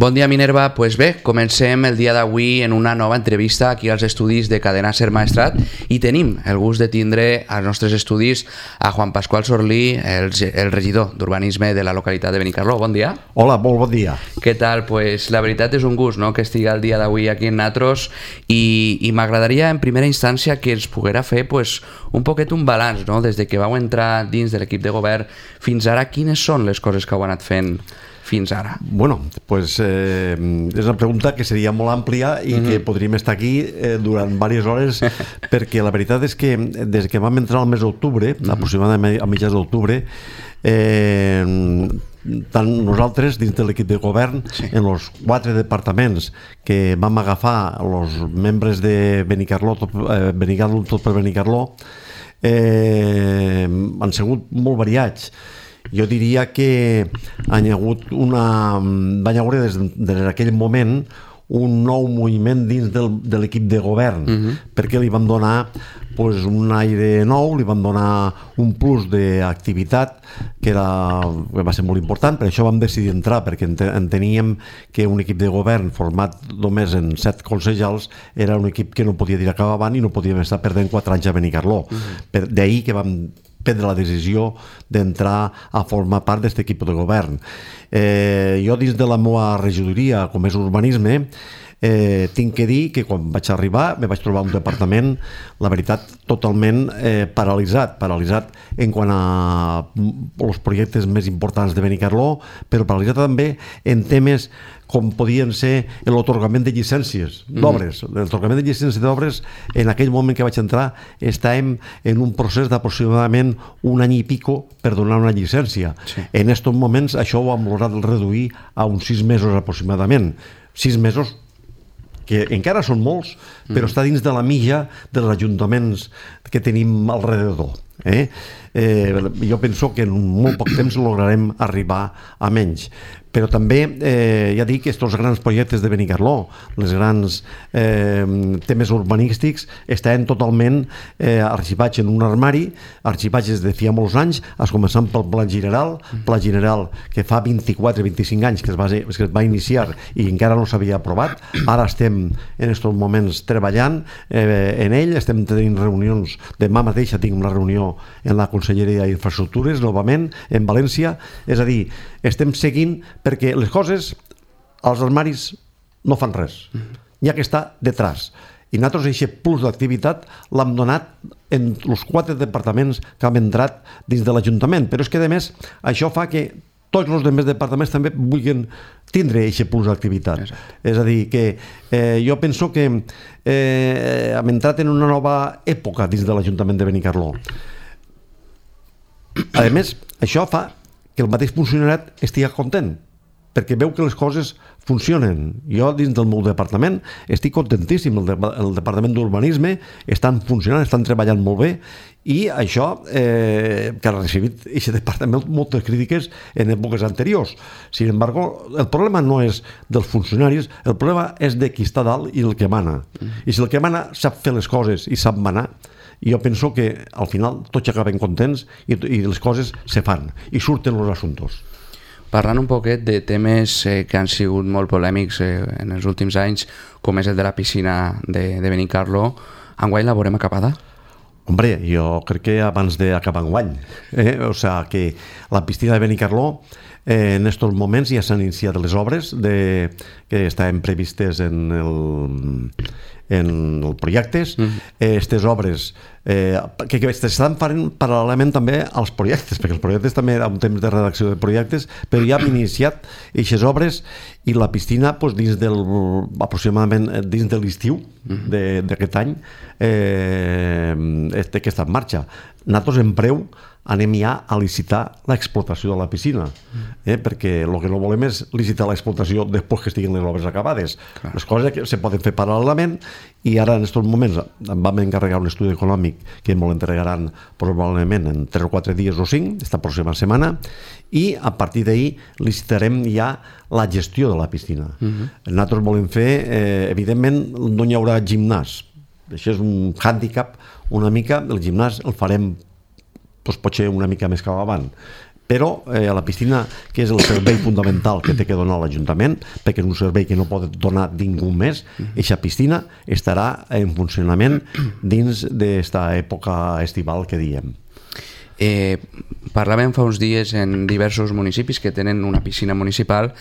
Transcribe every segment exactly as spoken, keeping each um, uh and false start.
Bon dia, Minerva. Pues bé, comencem el dia d'avui en una nova entrevista aquí als estudis de Cadena Ser Maestrat i tenim el gust de tindre als nostres estudis a Juan Pascual Sorlí, el, el regidor d'Urbanisme de la localitat de Benicarló. Bon dia. Hola, molt bon dia. Què tal? Pues la veritat és un gust, no?, que estigui el dia d'avui aquí en Natros i, i m'agradaria en primera instància que ens poguera fer pues, un poquet un balanç, no?, des de que vau entrar dins de l'equip de govern fins ara, quines són les coses que heu anat fent fins ara? Bueno, pues eh, és una pregunta que seria molt àmplia i mm-hmm. que podríem estar aquí eh, durant diverses hores perquè la veritat és que des que vam entrar al mes d'octubre, mm-hmm. aproximadament a mitjans d'octubre, eh, tant nosaltres dins de l'equip de govern, sí. en els quatre departaments que vam agafar els membres de Benicarló, tot, eh, Benicarló, tot per Benicarló, eh, han sigut molt variats. Jo diria que han hagut una... van haver des, des d'aquell moment un nou moviment dins del, de l'equip de govern, uh-huh. perquè li vam donar pues, un aire nou, li vam donar un plus d'activitat que, era, que va ser molt important, per això vam decidir entrar, perquè enteníem que un equip de govern format només en set consellers era un equip que no podia tirar cap avant i no podíem estar perdent quatre anys a Benicarló. Uh-huh. D'ahir que vam prendre la decisió d'entrar a formar part d'aquest equip de govern. Eh, jo dins de la meva regidoria, com és urbanisme, eh, tinc que dir que quan vaig arribar me vaig trobar un departament, la veritat, totalment eh, paralitzat, paralitzat en quant a els projectes més importants de Benicarló, però paralitzat també en temes com podien ser l'atorgament de llicències d'obres. Mm. L'atorgament de llicències d'obres, en aquell moment que vaig entrar, estàvem en un procés d'aproximadament un any i pico per donar una llicència. Sí. En aquests moments això ho hem lograt reduir a uns sis mesos aproximadament. Sis mesos que encara són molts, però mm. està dins de la mitja dels ajuntaments que tenim alrededor. Eh? Eh, jo penso que en molt poc temps lograrem arribar a menys. Però també, eh, ja dic, aquests grans projectes de Benicarló, els grans eh, temes urbanístics, estaven totalment eh, arxivats en un armari, arxivats des de feia molts anys, es començant pel Pla General, Pla General que fa vint-i-quatre vint-i-cinc anys que es va, que es va iniciar i encara no s'havia aprovat. Ara estem en aquests moments treballant eh, en ell, estem tenint reunions, demà mateix tinc una reunió en la Conselleria d'Infraestructures, novament, en València, és a dir, estem seguint perquè les coses als armaris no fan res, n'hi ha que estar detrás. I nosaltres aquest plus d'activitat l'hem donat en els quatre departaments que hem entrat dins de l'Ajuntament, però és que a més això fa que tots els altres departaments també vulguin tindre aquest plus d'activitat. Exacte. És a dir, que eh, jo penso que eh, hem entrat en una nova època dins de l'Ajuntament de Benicarló. A més, això fa que el mateix funcionariat estigui content, perquè veu que les coses funcionen. Jo, dins del meu departament, estic contentíssim. El, de, el departament d'urbanisme estan funcionant, estan treballant molt bé, i això, eh, que ha recibit aquest departament moltes crítiques en èpoques anteriors. Sin embargo, el problema no és dels funcionaris, el problema és de qui està dalt i el que mana. I si el que mana sap fer les coses i sap manar, jo penso que al final tots acaben contents i, i les coses se fan i surten els assumptes. Parlant un poquet de temes eh, que han sigut molt polèmics eh, en els últims anys, com és el de la piscina de, de Benicarló, enguany la veurem acabada? Hombre, jo crec que abans d'acabar enguany. Eh? O sigui, que la piscina de Benicarló eh, en aquests moments ja s'han iniciat les obres de, que estaven previstes en el... en els projectes, aquestes mm. obres eh, que, que estan fent paral·lelament també als projectes, perquè els projectes també hi ha un temps de redacció de projectes, però ja han iniciat aquestes obres i la piscina pues, dins del, aproximadament dins de l'estiu mm. d'aquest any eh, este, que està en marxa. Nosaltres en breu anem ja a licitar l'explotació de la piscina, eh? perquè el que no volem és licitar l'explotació després que estiguin les obres acabades. Clar. Les coses que se poden fer paral·lelament i ara en aquests moments vam encarregar un estudi econòmic que ens l'entregaran probablement en tres o quatre dies o cinc, esta pròxima setmana, i a partir d'ahir licitarem ja la gestió de la piscina. Uh-huh. Nosaltres volem fer, eh, evidentment no hi haurà gimnàs, això és un hàndicap una mica, el gimnàs el farem doncs potser una mica més cap avant, però eh, a la piscina, que és el servei fundamental que té que donar l'Ajuntament, perquè és un servei que no pot donar ningú més, aquesta piscina estarà en funcionament dins d'esta època estival que diem. Eh, parlàvem fa uns dies en diversos municipis que tenen una piscina municipal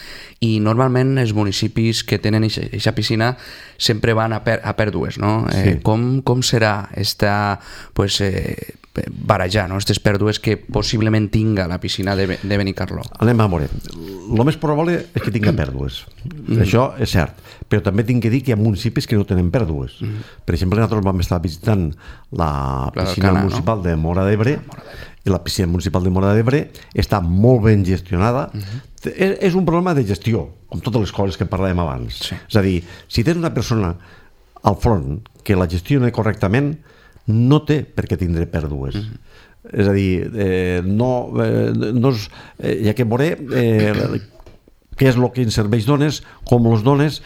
i normalment els municipis que tenen aquesta piscina sempre van a, per, a pèrdues, no? Eh, Sí. com, com serà esta, pues, eh, barajar, no? Aquestes pèrdues que possiblement tinga la piscina de, de Benicarló? Anem a veure. El més probable és que tinga pèrdues. Mm. Això és cert. Però també tinc que dir que hi ha municipis que no tenen pèrdues. Mm. Per exemple, nosaltres vam estar visitant la piscina Cana, municipal no? de Móra d'Ebre, i la piscina municipal de Móra d'Ebre està molt ben gestionada. Uh-huh. és, és un problema de gestió, com totes les coses que parlàvem abans. Sí. És a dir, si tens una persona al front que la gestiona correctament, no té per què tindre pèrdues. Uh-huh. És a dir, eh, no, eh, no és, eh, hi ha que veure eh, què és el que en serveis dones, com els dones.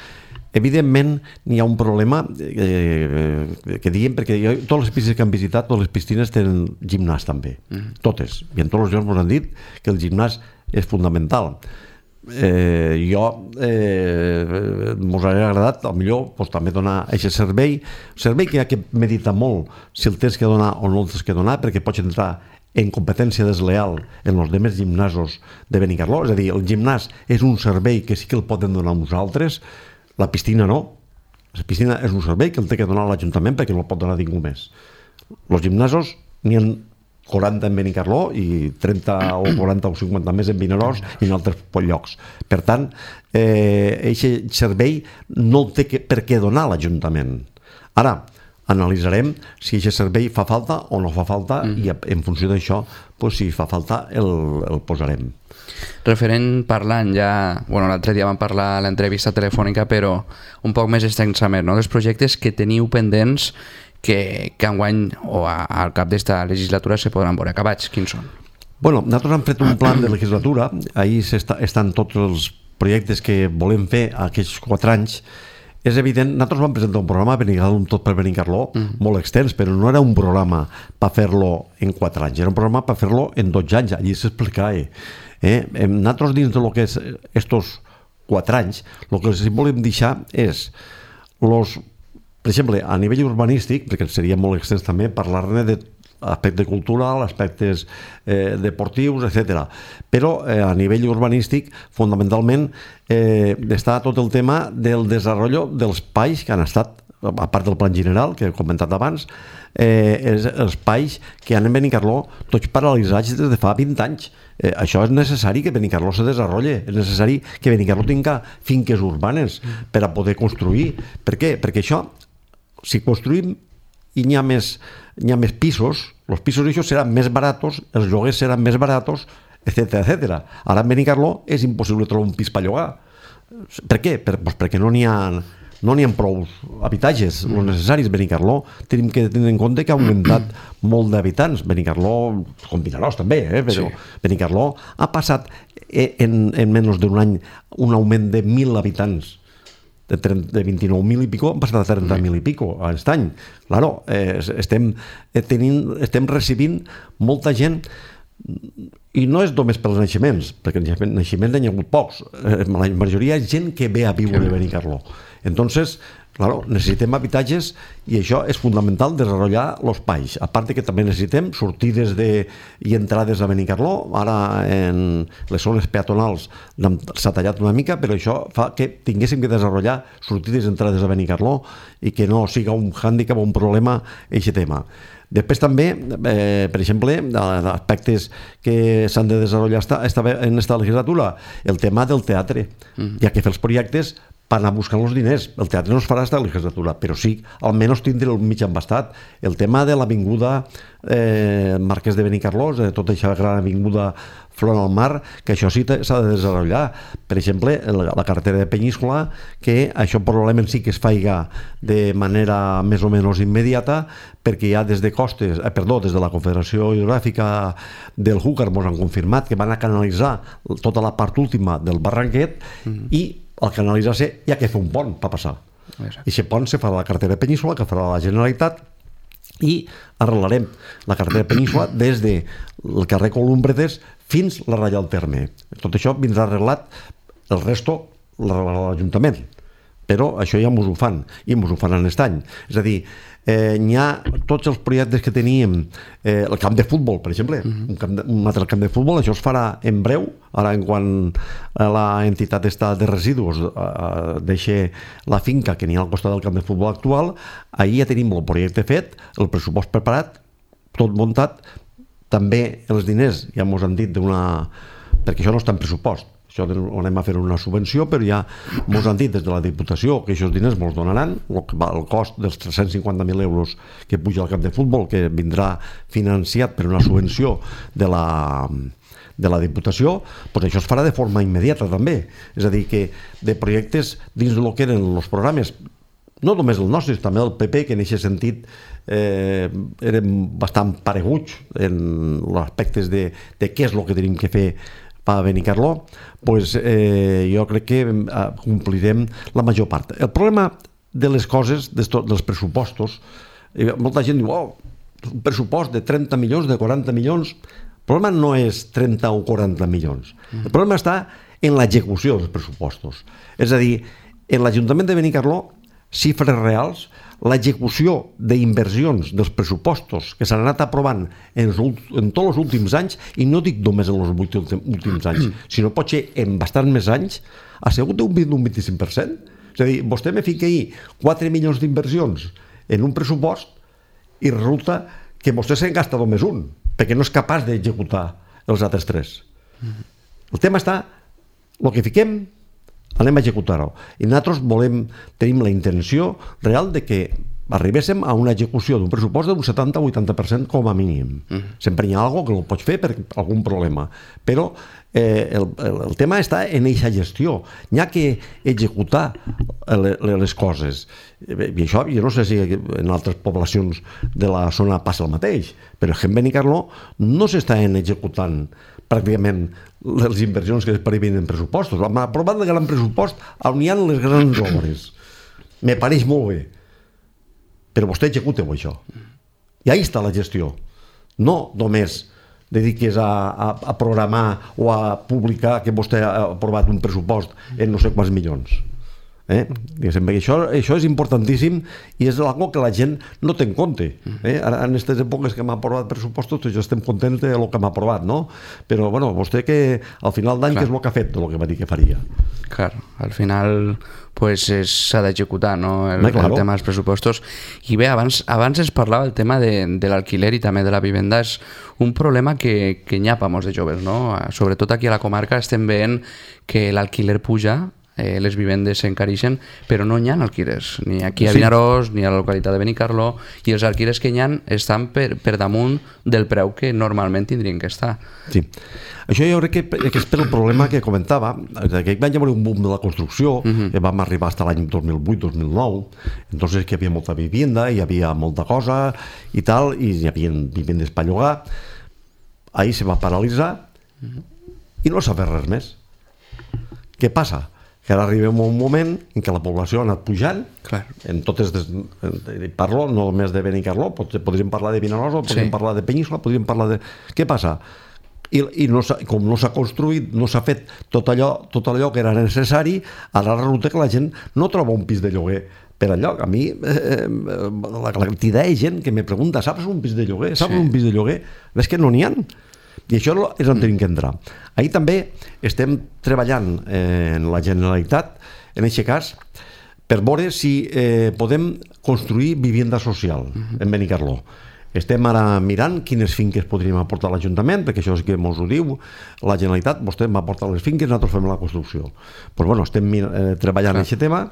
Evidentment, n'hi ha un problema eh, que diguem, perquè jo, totes les piscines que han visitat, totes les piscines tenen gimnàs també, mm. totes. I en tots els llocs ens han dit que el gimnàs és fundamental. Eh, jo eh, mos hauria agradat, potser pues, també donar aquest servei, servei que hi ha que meditar molt si el tens que donar o no el tens que donar, perquè pots entrar en competència desleal en els demés gimnasos de Benicarló. És a dir, el gimnàs és un servei que sí que el poden donar uns altres. La piscina no. La piscina és un servei que el té que donar l'Ajuntament perquè no el pot donar ningú més. Els gimnasos n'hi ha quaranta en Benicarló i trenta o quaranta o cinquanta més en Vinaròs i en altres llocs. Per tant, aquest eh, servei no el té que, per què donar l'Ajuntament. Ara, analitzarem si aquest servei fa falta o no fa falta mm. i en funció d'això, pues, si fa falta el, el posarem. Referent parlant ja, bueno, l'altre dia vam parlar a l'entrevista telefònica, però un poc més extensament, no? Dels projectes que teniu pendents que, que enguany o a, al cap d'esta legislatura se podran veure acabats. Quins són? Bueno, nosaltres hem fet un plan de legislatura, ahí estan tots els projectes que volem fer aquests quatre anys. És evident, nosaltres vam presentar un programa Benicarló, un tot per Benicarló, mm. molt extens, però no era un programa per fer-lo en quatre anys, era un programa per fer-lo en dotze anys, allí s'explicava. Eh? Nosaltres dins del que és estos quatre anys, el que els volem deixar és, los, per exemple, a nivell urbanístic, perquè seria molt extens també, parlar-ne de aspecte cultural, aspectes eh, deportius, etcètera. Però eh, a nivell urbanístic, fundamentalment, eh, està tot el tema del desenvolupament dels espais que han estat, a part del plan general, que he comentat abans, eh, els espais que han en Benicarló tots paralitzats des de fa vint anys. Eh, això és necessari que Benicarló se desenvolupi, és necessari que Benicarló tinga finques urbanes per a poder construir. Per què? Perquè això, si construïm i n'hi ha més, n'hi ha més pisos, els pisos això seran més baratos, els lloguers seran més baratos, etcètera, etcètera. Ara en Benicarló és impossible trobar un pis per llogar. Per què? Per, doncs perquè no n'hi ha, no n'hi ha prou habitatges, mm. els necessaris. Benicarló tenim que tenir en compte que ha augmentat molt d'habitants. Benicarló, com Vinaròs també, eh? Però sí. Benicarló ha passat en, en menys d'un any un augment de mil habitants. De, de vint-i-nou mil i pico han passat a trenta mil i pico aquest any. Claro, eh, estem, tenint, estem recibint molta gent, i no és només pels naixements, perquè naixements n'hi ha hagut pocs, eh, la majoria és gent que ve a viure a Benicarló. Entonces, claro, necessitem habitatges i això és fundamental, desenvolupar els espais. A part que també necessitem sortides de, i entrades a Benicarló. Ara en les zones peatonals s'ha tallat una mica, però això fa que tinguéssim que desenvolupar sortides i entrades a Benicarló i que no siga un hàndicap o un problema aquest tema. Després també, eh, per exemple, aspectes que s'han de desenvolupar en aquesta legislatura, el tema del teatre. Mm. Hi ha que fer els projectes per anar buscant els diners. El teatre no es farà aquesta legislatura, però sí, almenys tindre el mig embastat. El tema de l'avinguda eh, Marquès de Benicarló, de tota aquesta gran avinguda front al mar, que això sí s'ha de desenvolupar. Per exemple, la carretera de Peníscola, que això probablement sí que es faiga de manera més o menys immediata, perquè ja des de Costes, eh, perdó, des de la Confederació Hidrogràfica del Júcar ens han confirmat que van a canalitzar tota la part última del barranquet mm-hmm. i al canalitzar-se hi ha que fer un pont per passar. I aquest pont se farà la carretera de Peníscola, que farà la Generalitat, i arreglarem la carretera de Peníscola des del carrer Columbretes fins la ratlla del terme. Tot això vindrà arreglat, el resto l'Ajuntament, però això ja mos ho fan, i mos ho faran aquest any. És a dir, eh, n'hi ha tots els projectes que teníem, eh, el camp de futbol, per exemple, uh-huh. un, camp de, un altre camp de futbol, això es farà en breu, ara en quan l'entitat està de residus eh, deixa la finca que n'hi ha al costat del camp de futbol actual, ahir ja tenim el projecte fet, el pressupost preparat, tot muntat, també els diners, ja mos han dit d'una... perquè això no està en pressupost, això anem a fer una subvenció, però ja mos han dit des de la Diputació que aquests diners mos donaran, el cost dels tres-cents cinquanta mil euros que puja al camp de futbol, que vindrà financiat per una subvenció de la, de la Diputació, doncs això es farà de forma immediata també. És a dir, que de projectes dins del que eren els programes, no només el nostre, també el P P, que en aquest sentit eh, eren bastant pareguts en els aspectes de, de què és el que tenim que fer per Benicarló, pues, eh, jo crec que eh, complirem la major part. El problema de les coses, dels pressupostos, eh, molta gent diu, oh, un pressupost de trenta milions, de quaranta milions, el problema no és trenta o quaranta milions, el problema està en l'execució dels pressupostos. És a dir, en l'Ajuntament de Benicarló, xifres reals, l'execució d'inversions dels pressupostos que s'han anat aprovant en, en tots els últims anys, i no dic només en els vuit últims anys, sinó potser en bastant més anys, ha sigut d'un vint-i-cinc per cent. És a dir, vostè me fica ahir quatre milions d'inversions en un pressupost i resulta que vostè se'n gasta només un, perquè no és capaç d'executar els altres tres. El tema està, el que fiquem, anem a executar-ho. I nosaltres volem, tenim la intenció real de que arribéssim a una execució d'un pressupost d'un setanta o vuitanta per cent com a mínim. Mm. Sempre hi ha alguna cosa que no pots fer per algun problema. Però eh, el, el, el tema està en aquesta gestió. N'hi ha que executar les coses. I això, jo no sé si en altres poblacions de la zona passa el mateix, però en Benicarló no s'estan executant pràcticament les inversions que es previen en pressupostos. Aprovant el gran pressupost on hi ha les grans obres. Me pareix molt bé. Però vostè executeu això. I ahí està la gestió. No només dediquis a, a, a programar o a publicar que vostè ha aprovat un pressupost en no sé quants milions. Eh? Això, això és importantíssim i és algo que la gent no té en compte. Eh? Ara, en aquestes èpoques que m'ha aprovat pressupostos, tots ja estem contents del que m'ha aprovat, no? Però bueno, vostè que al final d'any què és el que ha fet del que va dir que faria? Clar, al final pues s'ha d'executar, no? El, claro. el tema dels pressupostos. I bé, abans, abans es parlava el tema de, de l'alquiler i també de la vivenda. És un problema que, que n'hi ha per molts de joves, no? Sobretot aquí a la comarca estem veient que l'alquiler puja, Eh, les vivendes s'encareixen, però no n'hi ha alquilers, ni aquí a Vinaròs, sí, ni a la localitat de Benicarló, i els alquilers que n'hi ha estan per, per damunt del preu que normalment tindrien que estar. Sí. Això jo crec que, que és per el problema que comentava, que va haver un boom de la construcció, uh-huh. que vam arribar fins l'any dos mil vuit dos mil nou, entonces que hi havia molta vivienda, hi havia molta cosa i tal, i hi havia vivendes per llogar. Ahir se va paralitzar uh-huh. i no s'ha fet res més. Què passa? Que ara arribem a un moment en què la població ha anat pujant. Clar. En totes des, parlo no només de Benicarló, podríem parlar de Vinaròs, podríem sí. parlar de Península, podríem parlar de... Què passa? I, i no com no s'ha construït, no s'ha fet tot allò, tot allò que era necessari, ara resulta que la gent no troba un pis de lloguer per enlloc. A mi, eh, la quantitat de gent que me pregunta, saps un pis de lloguer? Saps sí. un pis de lloguer? És que no n'hi ha. I això és on tenim que entrar. Ahir també estem treballant eh, en la Generalitat, en aquest cas, per veure si eh, podem construir vivienda social uh-huh. en Benicarló. Estem ara mirant quines finques podríem aportar a l'Ajuntament, perquè això és que ens ho diu la Generalitat, vostè m'aporta les finques, nosaltres fem la construcció. Pues bueno, estem eh, treballant en aquest tema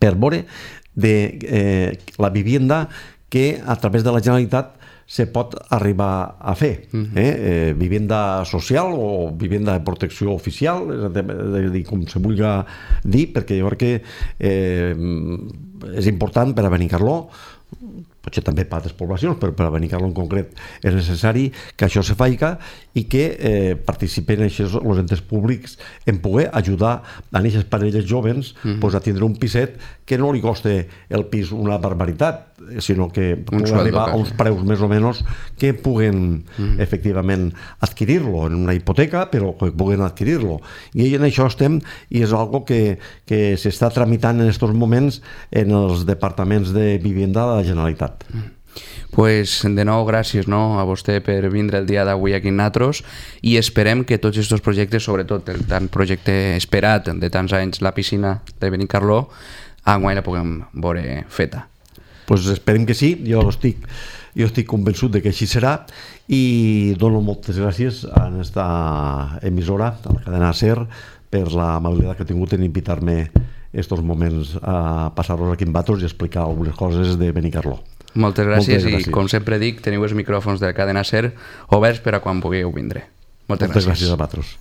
per veure de eh, la vivienda que a través de la Generalitat se pot arribar a fer. Uh-huh. eh? Eh, vivenda social o vivenda de protecció oficial, és a dir, com se vulgui dir, perquè jo crec que eh, és important per a Benicarló potser també per altres poblacions, però per a Benicarló en concret és necessari que això se faica i que eh, participen els entes públics en poder ajudar a aquestes parelles joves mm -hmm. pues, a tindre un piset que no li coste el pis una barbaritat, sinó que pugui arribar a uns preus més o menys que puguen mm -hmm. efectivament adquirir-lo en una hipoteca, però que puguen adquirir-lo. I en això estem i és algo que, que s'està tramitant en aquests moments en els departaments de vivenda de la Generalitat. Pues de nou gràcies, no, a vostè per vindre el dia d'avui aquí en Natros i esperem que tots aquests projectes, sobretot el tant projecte esperat de tants anys, la piscina de Benicarló, enguany la puguem veure feta. Pues esperem que sí, jo estic, jo estic convençut de que així serà i dono moltes gràcies a aquesta emissora, a la cadena SER, per l'amabilitat que ha tingut en invitar-me estos moments a passar-los aquí en Natros i explicar algunes coses de Benicarló. Moltes gràcies, Moltes gràcies i com sempre dic, teniu els micròfons de la cadena SER oberts per a quan pugueu vindre. Moltes, Moltes gràcies. gràcies a Natros.